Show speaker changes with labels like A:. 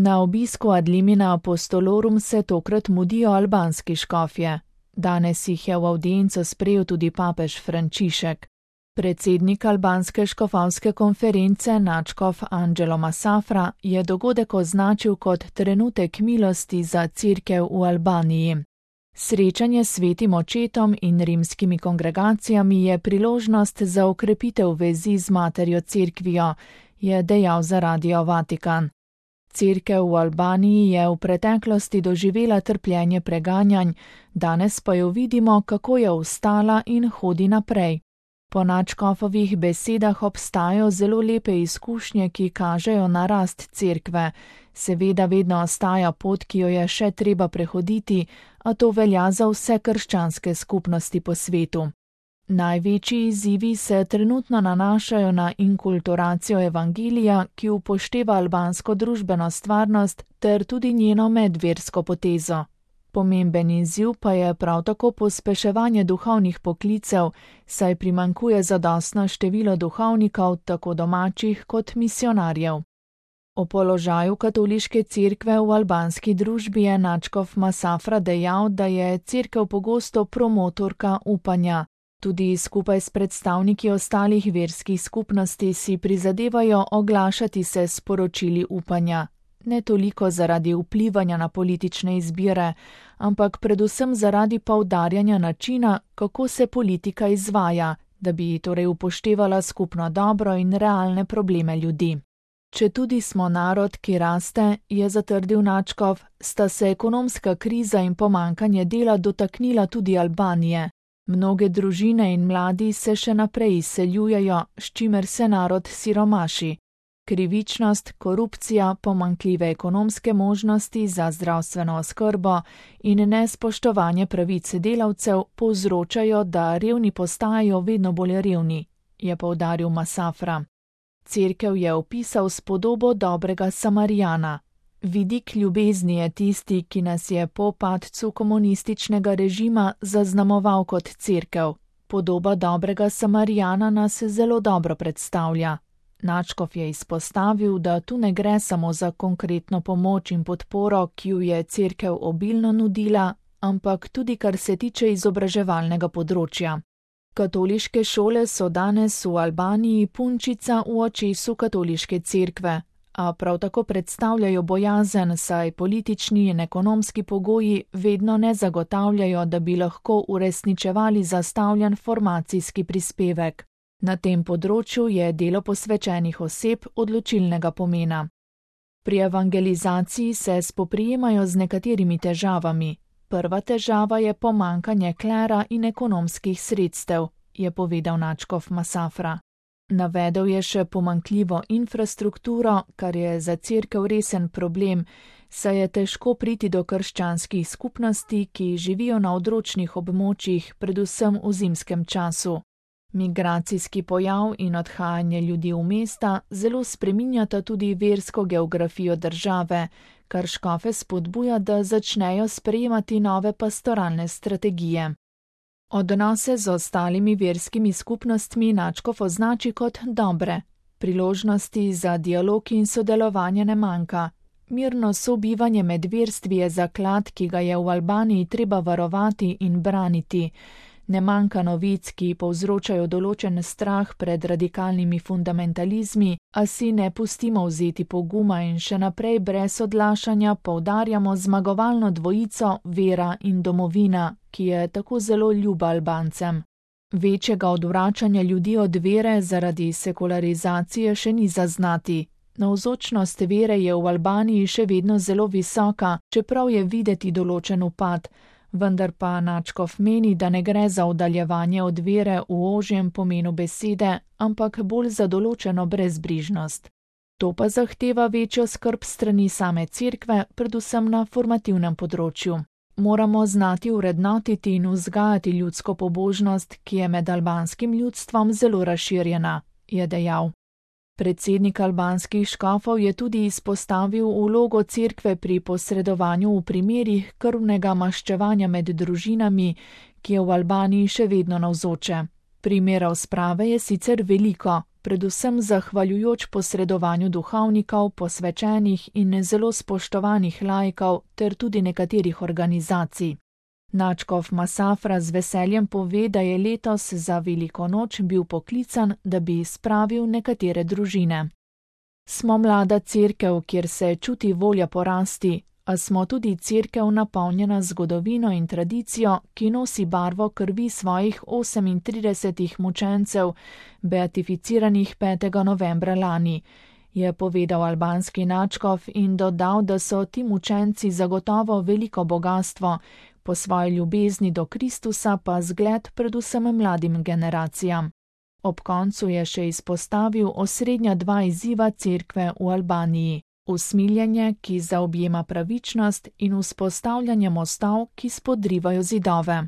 A: Na obisku ad limina apostolorum se tokrat mudijo albanski škofje. Danes jih je v avdienco sprejel tudi papež Frančišek. Predsednik albanske škofovske konference nadškof Anđelo Masafra je dogodek označil kot trenutek milosti za cerkev v Albaniji. Srečanje s svetim očetom in rimskimi kongregacijami je priložnost za okrepitev vezi z materjo cerkvijo, je dejal za Radio Vatikan. Cerkev v Albaniji je v preteklosti doživela trpljenje preganjanj, danes pa jo vidimo, kako je vstala in hodi naprej. Po nadškofovih besedah obstajajo zelo lepe izkušnje, ki kažejo na rast cerkve. Seveda vedno ostaja pot, ki jo je še treba prehoditi, a to velja za vse krščanske skupnosti po svetu. Največji izzivi se trenutno nanašajo na inkulturacijo evangelija, ki upošteva albansko družbeno stvarnost ter tudi njeno medversko potezo. Pomemben izziv pa je prav tako pospeševanje duhovnih poklicev, saj primanjkuje zadostno število duhovnikov, tako domačih kot misionarjev. O položaju katoliške cerkve v albanski družbi je nadškof Masafra dejal, da je cerkev pogosto promotorka upanja. Tudi skupaj s predstavniki ostalih verskih skupnosti si prizadevajo oglašati se s sporočili upanja. Ne toliko zaradi vplivanja na politične izbire, ampak predvsem zaradi poudarjanja načina, kako se politika izvaja, da bi torej upoštevala skupno dobro in realne probleme ljudi. Četudi smo narod, ki raste, je zatrdil nadškof, sta se ekonomska kriza in pomanjkanje dela dotaknila tudi Albanije. Mnoge družine in mladi se še naprej izseljujejo, s čimer se narod siromaši. Krivičnost, korupcija, pomanjkljive ekonomske možnosti za zdravstveno oskrbo in nespoštovanje pravic delavcev povzročajo, da revni postajajo vedno bolj revni, je poudaril Masafra. Cerkev je opisal s podobo dobrega Samarijana. Vidik ljubezni je tisti, ki nas je po padcu komunističnega režima zaznamoval kot cerkev. Podoba dobrega Samarijana nas zelo dobro predstavlja. Nadškof je izpostavil, da tu ne gre samo za konkretno pomoč in podporo, ki jo je cerkev obilno nudila, ampak tudi kar se tiče izobraževalnega področja. Katoliške šole so danes v Albaniji punčica v očesu katoliške cerkve, a prav tako predstavljajo bojazen, saj politični in ekonomski pogoji vedno ne zagotavljajo, da bi lahko uresničevali zastavljen formacijski prispevek. Na tem področju je delo posvečenih oseb odločilnega pomena. Pri evangelizaciji se spoprijemajo z nekaterimi težavami. Prva težava je pomanjkanje klera in ekonomskih sredstev, je povedal nadškof Masafra. Navedel je še pomanjkljivo infrastrukturo, kar je za cerkev resen problem, saj je težko priti do krščanskih skupnosti, ki živijo na odročnih območjih, predvsem v zimskem času. Migracijski pojav in odhajanje ljudi v mesta zelo spreminjata tudi versko geografijo države, kar škofe spodbuja, da začnejo sprejemati nove pastoralne strategije. Odnose z ostalimi verskimi skupnostmi nadškof označi kot dobre. Priložnosti za dialog in sodelovanje ne manjka. Mirno sobivanje med verstvi je zaklad, ki ga je v Albaniji treba varovati in braniti. Ne manjka novic, ki povzročajo določen strah pred radikalnimi fundamentalizmi, a si ne pustimo vzeti poguma in še naprej brez odlašanja poudarjamo zmagovalno dvojico vera in domovina, ki je tako zelo ljuba Albancem. Večjega odvračanja ljudi od vere zaradi sekularizacije še ni zaznati. Navzočnost vere je v Albaniji še vedno zelo visoka, čeprav je videti določen upad. Vendar pa nadškof meni, da ne gre za oddaljevanje od vere v ožjem pomenu besede, ampak bolj za določeno brezbrižnost. To pa zahteva večjo skrb strani same cerkve, predvsem na formativnem področju. Moramo znati vrednotiti in vzgajati ljudsko pobožnost, ki je med albanskim ljudstvom zelo razširjena, je dejal. Predsednik albanskih škofov je tudi izpostavil vlogo cerkve pri posredovanju v primerih krvnega maščevanja med družinami, ki je v Albaniji še vedno navzoče. Primerov sprave je sicer veliko, predvsem zahvaljujoč posredovanju duhovnikov, posvečenih in zelo spoštovanih laikov ter tudi nekaterih organizacij. Nadškof Masafra z veseljem pove, da je letos za veliko noč bil poklican, da bi spravil nekatere družine. Smo mlada cerkev, kjer se čuti volja porasti, a smo tudi cerkev napolnjena zgodovino in tradicijo, ki nosi barvo krvi svojih 38 mučencev, beatificiranih 5. novembra lani, je povedal albanski nadškof in dodal, da so ti mučenci zagotovo veliko bogastvo, po svoji ljubezni do Kristusa pa zgled predvsem mladim generacijam. Ob koncu je še izpostavil osrednja dva izziva cerkve v Albaniji: usmiljenje, ki zaobjema pravičnost, in vzpostavljanje mostov, ki spodrivajo zidove.